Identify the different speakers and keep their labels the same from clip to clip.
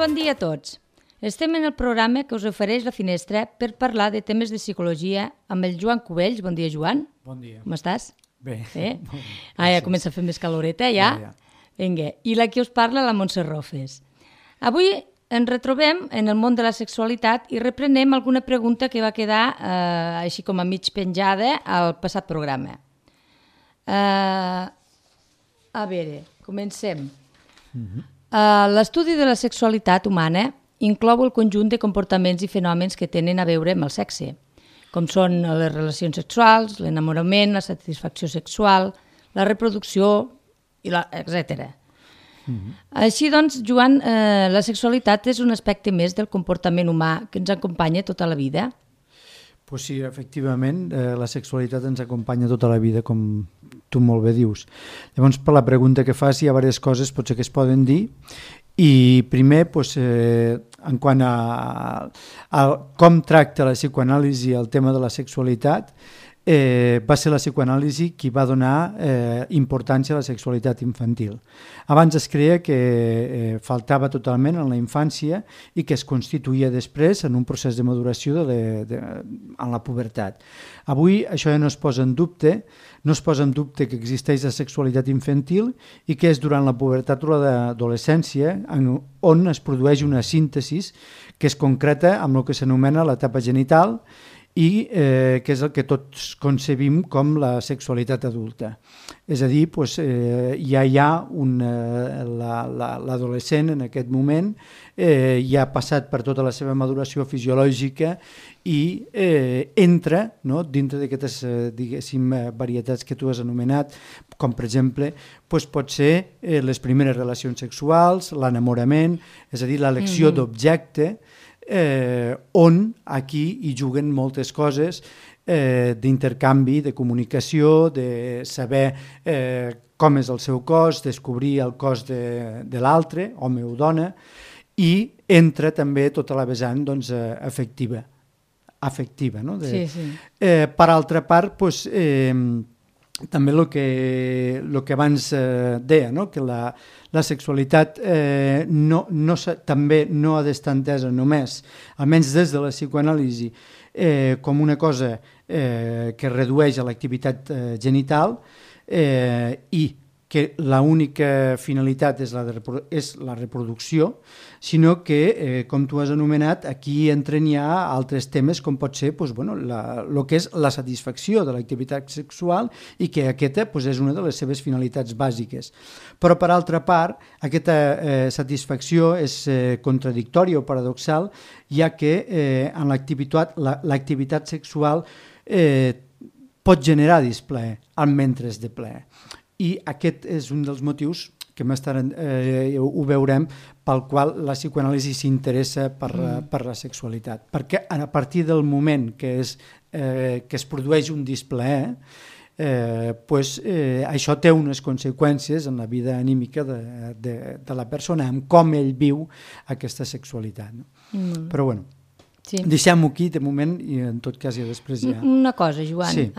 Speaker 1: bon dia a tots. Estem en el programa que us ofereix La Finestra per parlar de temes de psicologia amb el Joan Cubells. Bon dia, Joan.
Speaker 2: Bon dia.
Speaker 1: Com estàs?
Speaker 2: Bé.
Speaker 1: Ja comença a fer més caloreta, ja? Vinga. I la que us parla, la Montse Rofes. Avui ens retrobem en el món de la sexualitat i reprenem alguna pregunta que va quedar així com a mig penjada al passat programa. A veure, comencem. L'estudi de la sexualitat humana inclou el conjunt de comportaments i fenòmens que tenen a veure amb el sexe, com són les relacions sexuals, l'enamorament, la satisfacció sexual, la reproducció, etc. Així doncs, Joan, la sexualitat és un aspecte més del comportament humà que ens acompanya tota la vida?
Speaker 2: Pues sí, efectivament, la sexualitat ens acompanya tota la vida, com tu molt bé dius. Llavors, per la pregunta que fas, hi ha diverses coses potser que es poden dir. I primer, en quant a com tracta la psicoanàlisi el tema de la sexualitat, va ser la psicoanàlisi qui va donar importància a la sexualitat infantil. Abans es creia que faltava totalment en la infància i que es constituïa després en un procés de maduració en la pubertat. Avui això ja no es posa en dubte, no es posa en dubte que existeix la sexualitat infantil i que és durant la pubertat o l'adolescència on es produeix una síntesi que es concreta amb el que s'anomena l'etapa genital i que és el que tots concebim com la sexualitat adulta. És a dir, ja hi ha l'adolescent en aquest moment, ja ha passat per tota la seva maduració fisiològica i entra dintre d'aquestes varietats que tu has anomenat, com per exemple pot ser les primeres relacions sexuals, l'enamorament, és a dir, l'elecció d'objecte, on aquí hi juguen moltes coses d'intercanvi, de comunicació, de saber com és el seu cos, descobrir el cos de l'altre, home o dona, i entra també tota la vessant afectiva. Per altra part, també el que abans deia, que la sexualitat també no ha d'estar entesa només, almenys des de la psicoanàlisi, com una cosa que redueix a l'activitat genital i que l'única finalitat és la reproducció, sinó que, com tu has anomenat, aquí entren ja altres temes com pot ser el que és la satisfacció de l'activitat sexual i que aquesta és una de les seves finalitats bàsiques. Però, per altra part, aquesta satisfacció és contradictòria o paradoxal, ja que en l'activitat sexual pot generar displaer, mentre de plaer. I aquest és un dels motius que més tard ho veurem pel qual la psicoanàlisi s'interessa per la sexualitat. Perquè a partir del moment que es produeix un displaer, això té unes conseqüències en la vida anímica de la persona, en com ell viu aquesta sexualitat. Però bueno, deixem-ho aquí de moment i en tot cas ja després ja...
Speaker 1: Una cosa, Joan,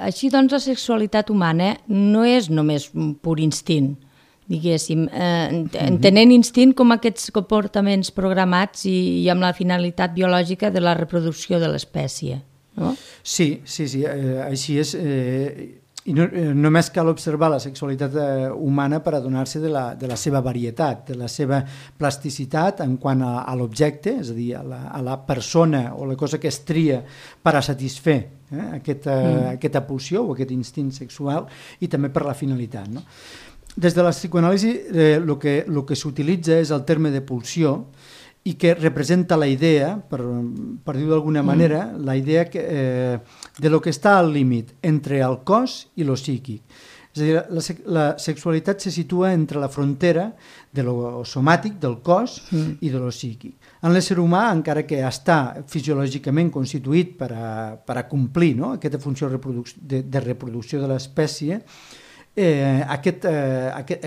Speaker 1: així doncs la sexualitat humana no és només un pur instint, diguéssim, entenent instint com aquests comportaments programats i amb la finalitat biològica de la reproducció de l'espècie, no? Sí,
Speaker 2: així és. I només cal observar la sexualitat humana per adonar-se de la seva varietat, de la seva plasticitat en quant a l'objecte, és a dir, a la persona o la cosa que es tria per a satisfer aquesta pulsió o aquest instint sexual i també per la finalitat. Des de la psicoanàlisi el que s'utilitza és el terme de pulsió i que representa la idea, per dir-ho d'alguna manera, la idea de lo que està al límit entre el cos i lo psíquic. És a dir, la sexualitat se situa entre la frontera de lo somàtic, del cos, i de lo psíquic. En l'ésser humà, encara que està fisiològicament constituït per a complir aquesta funció de reproducció de l'espècie,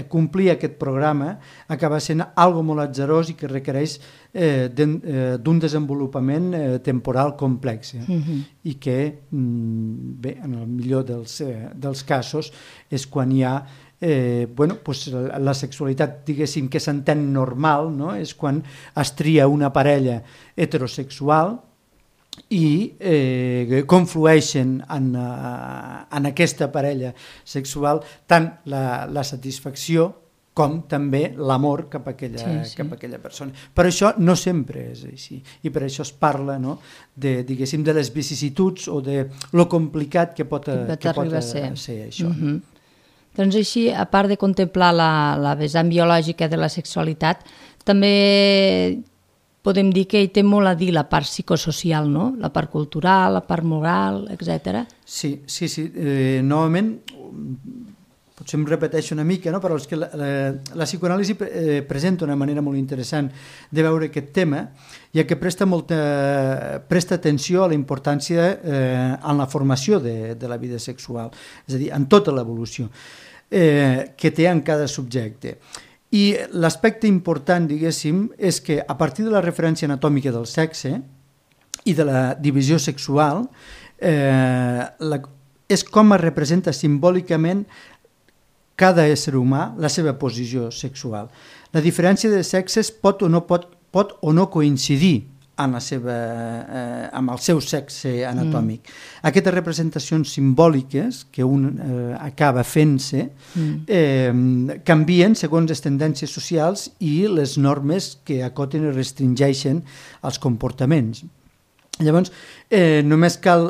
Speaker 2: complir aquest programa acaba sent algo molt atzarós i que requereix d'un desenvolupament temporal complex i que, bé, en el millor dels casos és quan hi ha la sexualitat, diguéssim, que s'entén normal, no? És quan es tria una parella heterosexual i conflueixen en aquesta parella sexual tant la satisfacció com també l'amor cap a aquella persona. Però això no sempre és així, i per això es parla, no, diguéssim, de les vicissituds o de lo complicat que pot ser això.
Speaker 1: Doncs així, a part de contemplar la vessant biològica de la sexualitat, també podem dir que hi té molt a dir la part psicosocial, no? La part cultural, la part moral, etc.
Speaker 2: Sí. Novament, potser em repeteixo una mica, no? Però és que la psicoanàlisi presenta una manera molt interessant de veure aquest tema, ja que presta atenció a la importància en la formació de la vida sexual, és a dir, en tota l'evolució que té en cada subjecte. I l'aspecte important, diguéssim, és que a partir de la referència anatòmica del sexe i de la divisió sexual és com es representa simbòlicament cada ésser humà la seva posició sexual. La diferència de sexes pot o no coincidir amb el seu sexe anatòmic. Aquestes representacions simbòliques que un acaba fent-se canvien segons les tendències socials i les normes que acoten i restringeixen els comportaments. Llavors, només cal,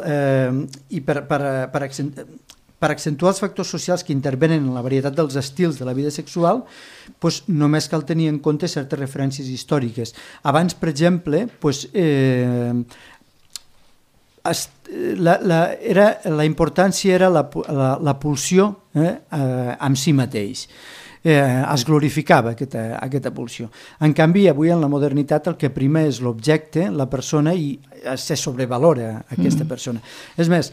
Speaker 2: i per accentuar els factors socials que intervenen en la varietat dels estils de la vida sexual, doncs només cal tenir en compte certes referències històriques. Abans, per exemple, la importància era la pulsió amb si mateix. Es glorificava aquesta pulsió. En canvi, avui en la modernitat el que prima és l'objecte, la persona, i se sobrevalora aquesta persona. És més,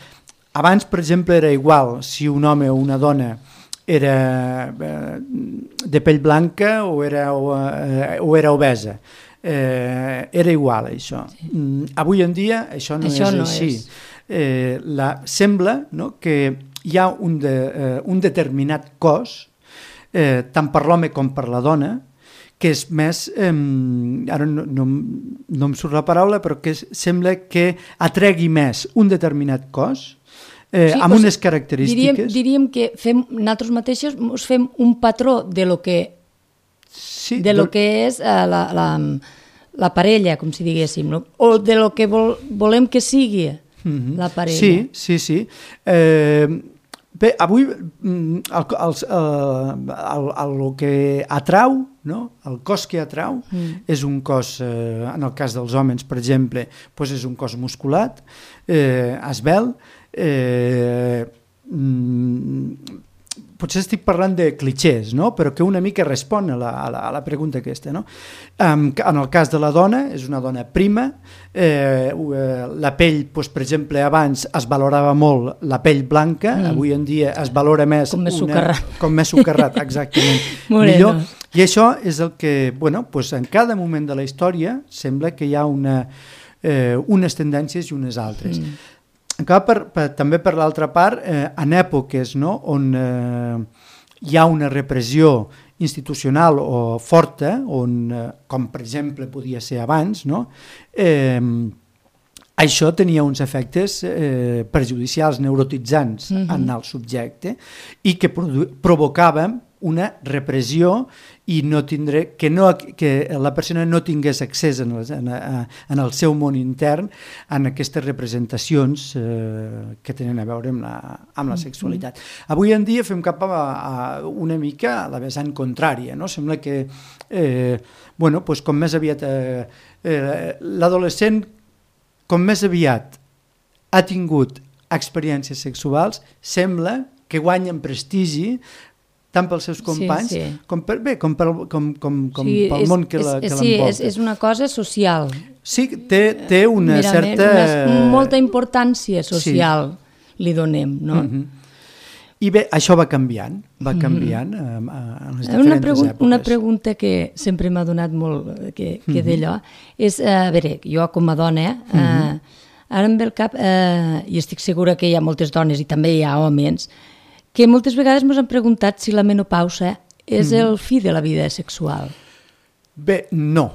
Speaker 2: abans, per exemple, era igual si un home o una dona era de pell blanca o era obesa. Era igual, això. Avui en dia això no és així. Sembla que hi ha un determinat cos, tant per l'home com per la dona, que és més, ara no em surt la paraula, però que sembla que atregui més un determinat cos amb unes característiques.
Speaker 1: Diríem que nosaltres mateixos ens fem un patró de lo que és la parella, com si diguéssim, no? O de lo que volem que sigui la parella.
Speaker 2: Sí. Bé, avui el que atrau, no? El cos que atrau és un cos, en el cas dels homes, per exemple, és un cos musculat, esvelt, potser estic parlant de clichés, no? Però que una mica respon a la pregunta aquesta, no? En el cas de la dona, és una dona prima, la pell, per exemple, abans es valorava molt la pell blanca, avui en dia es valora més com més socarrat, exactament, millor. I això és el que, en cada moment de la història sembla que hi ha unes tendències i unes altres. També per l'altra part, en èpoques on hi ha una repressió institucional o forta, com per exemple podia ser abans, això tenia uns efectes perjudicials, neurotitzants en el subjecte i que provocaven una repressió i que la persona no tingués accés en el seu món intern en aquestes representacions que tenen a veure amb la sexualitat. Avui en dia fem cap a una mica a la vessant contrària, no? Sembla que com més aviat l'adolescent com més aviat ha tingut experiències sexuals, sembla que guanyen prestigi tant pels seus companys com pel món que l'envolta.
Speaker 1: Sí, és una cosa social.
Speaker 2: Sí, té una certa...
Speaker 1: Molta importància social li donem, no?
Speaker 2: I bé, això va canviant en les diferents èpoques.
Speaker 1: Una pregunta que sempre m'ha donat molt que d'allò és, a veure, jo com a dona, ara em ve al cap, i estic segura que hi ha moltes dones i també hi ha homes, Que moltes vegades ens han preguntat si la menopausa és el fi de la vida sexual.
Speaker 2: Bé, no.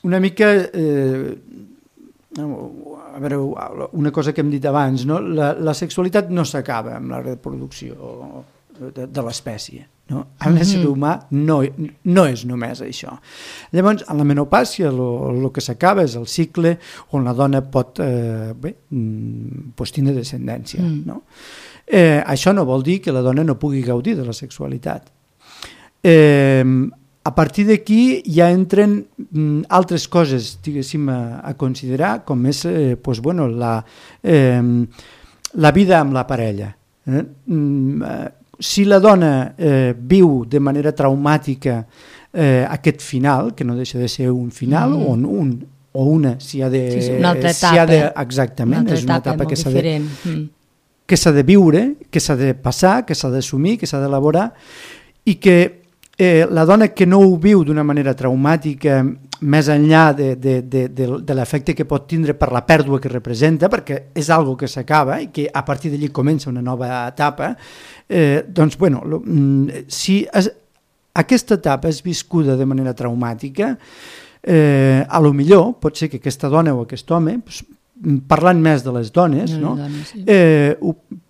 Speaker 2: Una mica... a veure, una cosa que hem dit abans, no? La sexualitat no s'acaba amb la reproducció de l'espècie. No? L'ésser humà no és només això. Llavors, en la menopàusia el que s'acaba és el cicle on la dona pot tindre descendència. No? Això no vol dir que la dona no pugui gaudir de la sexualitat. A partir d'aquí ja entren altres coses, diguéssim, a considerar, com és la vida amb la parella. Si la dona viu de manera traumàtica aquest final, que no deixa de ser un final, on un o una s'hi ha de...
Speaker 1: Sí, una altra etapa.
Speaker 2: Exactament, és una etapa que s'ha de viure, que s'ha de passar, que s'ha d'assumir, que s'ha d'elaborar, i que la dona que no ho viu d'una manera traumàtica, més enllà de l'efecte que pot tindre per la pèrdua que representa, perquè és algo que s'acaba i que a partir d'allí comença una nova etapa, doncs, bueno, si aquesta etapa és viscuda de manera traumàtica, a lo millor pot ser que aquesta dona o aquest home, parlant més de les dones,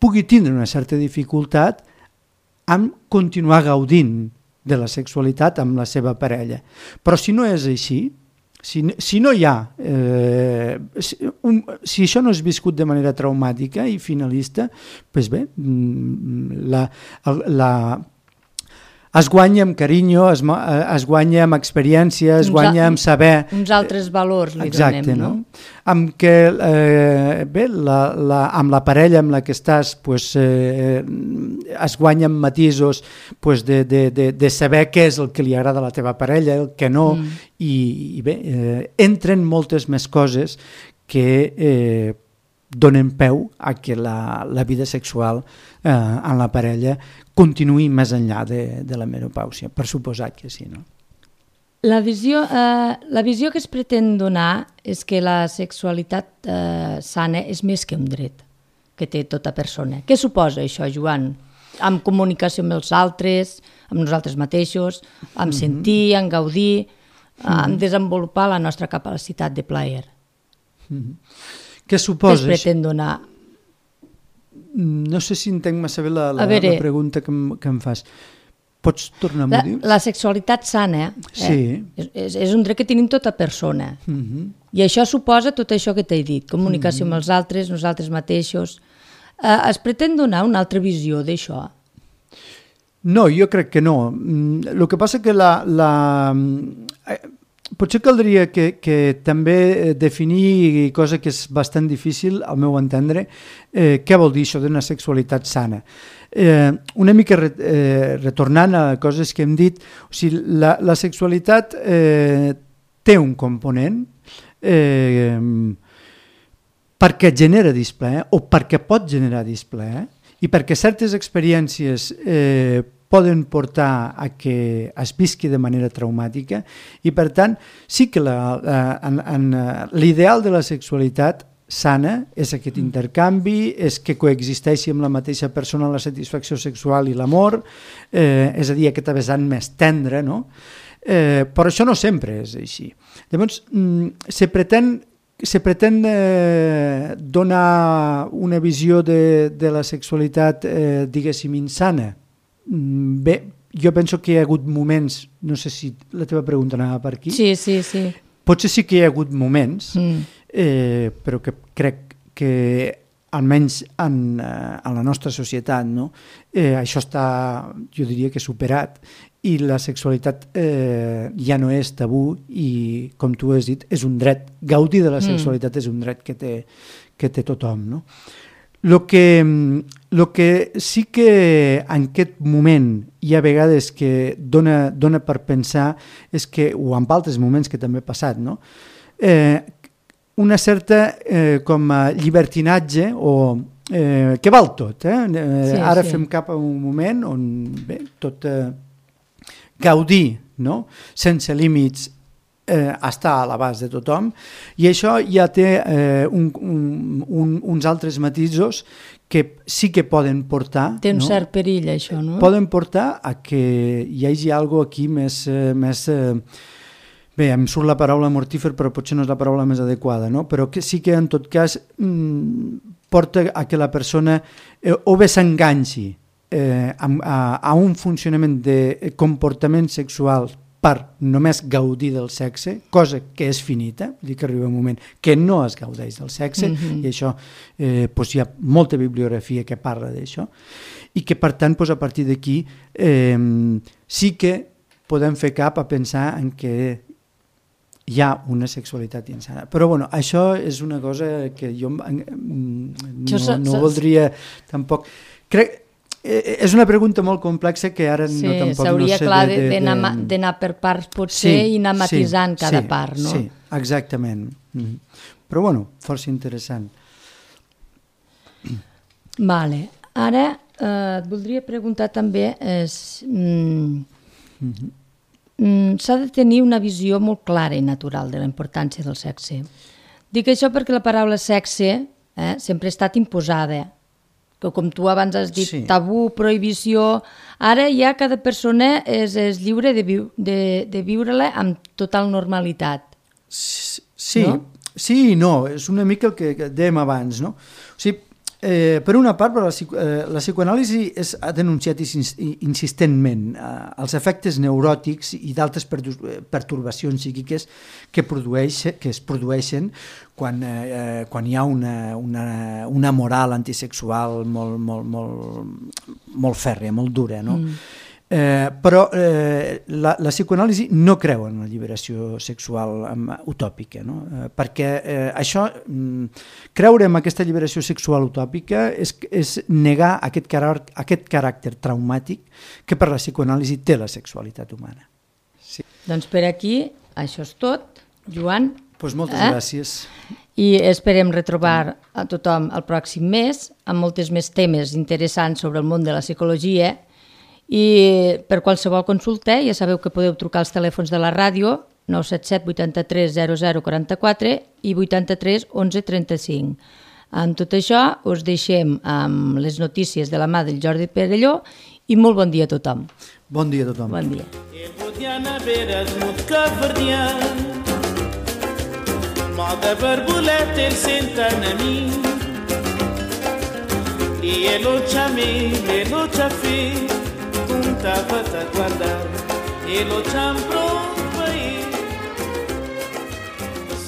Speaker 2: pugui tindre una certa dificultat en continuar gaudint de la sexualitat amb la seva parella. Però si no és així, si no hi ha... si això no és viscut de manera traumàtica i finalista, doncs bé, es guanya amb carinyo, es guanya amb experiència, es guanya amb saber...
Speaker 1: Uns altres valors li donem, no?
Speaker 2: Amb que, amb la parella amb la que estàs, es guanya amb matisos de saber què és el que li agrada a la teva parella, el que no, i bé, entren moltes més coses que donen peu a que la vida sexual en la parella continuï més enllà de la menopàusia, per suposat que sí, no?
Speaker 1: La visió que es pretén donar és que la sexualitat sana és més que un dret que té tota persona. Què suposa això, Joan? Amb comunicació amb els altres, amb nosaltres mateixos, amb sentir, amb gaudir, amb desenvolupar la nostra capacitat de plaer.
Speaker 2: Què suposa?
Speaker 1: Què es pretén donar?
Speaker 2: No sé si entenc massa bé la pregunta que em fas. Pots tornar a dir?
Speaker 1: La sexualitat sana és un dret que tenim tota persona. I això suposa tot això que t'he dit, comunicació amb els altres, nosaltres mateixos. Es pretén donar una altra visió d'això?
Speaker 2: No, jo crec que no. El que passa que potser caldria que també definir cosa que és bastant difícil, al meu entendre, què vol dir això d'una sexualitat sana. Una mica retornant a coses que hem dit, o sigui, la sexualitat té un component perquè genera displaer o perquè pot generar displaer i perquè certes experiències poden portar a que es visqui de manera traumàtica i, per tant, sí que l'ideal de la sexualitat sana és aquest intercanvi, és que coexisteixi amb la mateixa persona la satisfacció sexual i l'amor, és a dir, aquesta vessant més tendra, no? Però això no sempre és així. Llavors, se pretén donar una visió de la sexualitat, diguéssim, insana. Bé, jo penso que hi ha hagut moments, no sé si la teva pregunta anava per aquí.
Speaker 1: Sí.
Speaker 2: Potser sí que hi ha hagut moments, però que crec que almenys en la nostra societat, no? Això està, jo diria que superat, i la sexualitat ja no és tabú i, com tu has dit, és un dret. Gaudir de la sexualitat és un dret que té tothom, no? El que sí que en aquest moment hi ha vegades que dona per pensar és que, o en altres moments que també ha passat, no? Una certa com a llibertinatge o que val tot. Ara fem cap a un moment on bé, tot gaudir, no? Sense límits està a l'abast de tothom, i això ja té uns altres matisos que sí que poden portar...
Speaker 1: Té un cert perill, això, no?
Speaker 2: Poden portar a que hi hagi alguna cosa aquí més bé, em surt la paraula mortífer, però potser no és la paraula més adequada, no? Però que sí que en tot cas porta a que la persona o bé s'enganxi a un funcionament de comportament sexual per només gaudir del sexe, cosa que és finita, vull dir que arriba un moment que no es gaudeix del sexe, i això doncs hi ha molta bibliografia que parla d'això, i que per tant doncs, a partir d'aquí sí que podem fer cap a pensar en que hi ha una sexualitat insana. Però bueno, això és una cosa que jo no voldria tampoc... És una pregunta molt complexa que ara tampoc no sé...
Speaker 1: S'hauria clar d'anar per parts potser i anar matisant cada part, no?
Speaker 2: Sí, exactament. Però bueno, força interessant.
Speaker 1: Vale. Ara et voldria preguntar també... s'ha de tenir una visió molt clara i natural de la importància del sexe. Dic això perquè la paraula sexe sempre ha estat imposada, que com tu abans has dit, tabú, prohibició, ara ja cada persona és lliure de viure-la amb total normalitat.
Speaker 2: Sí, no? Sí i no, és una mica el que dèiem abans, no? O sigui, per una part, la psicoanàlisi ha denunciat insistentment els efectes neuròtics i d'altres pertorbacions psíquiques que es produeixen quan hi ha una moral antisexual molt fèrrea, molt dura, no? Però la psicoanàlisi no creu en la lliberació sexual utòpica, no? Perquè això, creure en aquesta lliberació sexual utòpica és negar aquest caràcter traumàtic que per la psicoanàlisi té la sexualitat humana. Sí.
Speaker 1: Doncs per aquí, això és tot, Joan.
Speaker 2: Doncs moltes gràcies.
Speaker 1: I esperem retrobar a tothom el pròxim mes amb moltes més temes interessants sobre el món de la psicologia. I per qualsevol consulta ja sabeu que podeu trucar als telèfons de la ràdio 977 83 0044 i 83 11 35. Amb tot això us deixem amb les notícies de la mà del Jordi Perelló i molt bon dia a tothom.
Speaker 2: Bon dia a tothom.
Speaker 1: Bon dia.
Speaker 3: Moda barbulete il sentanami e lo ciami e lo ciaffi puntava a guardare e lo ciampro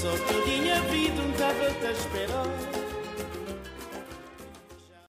Speaker 3: sotto di mia vita un tava a sperare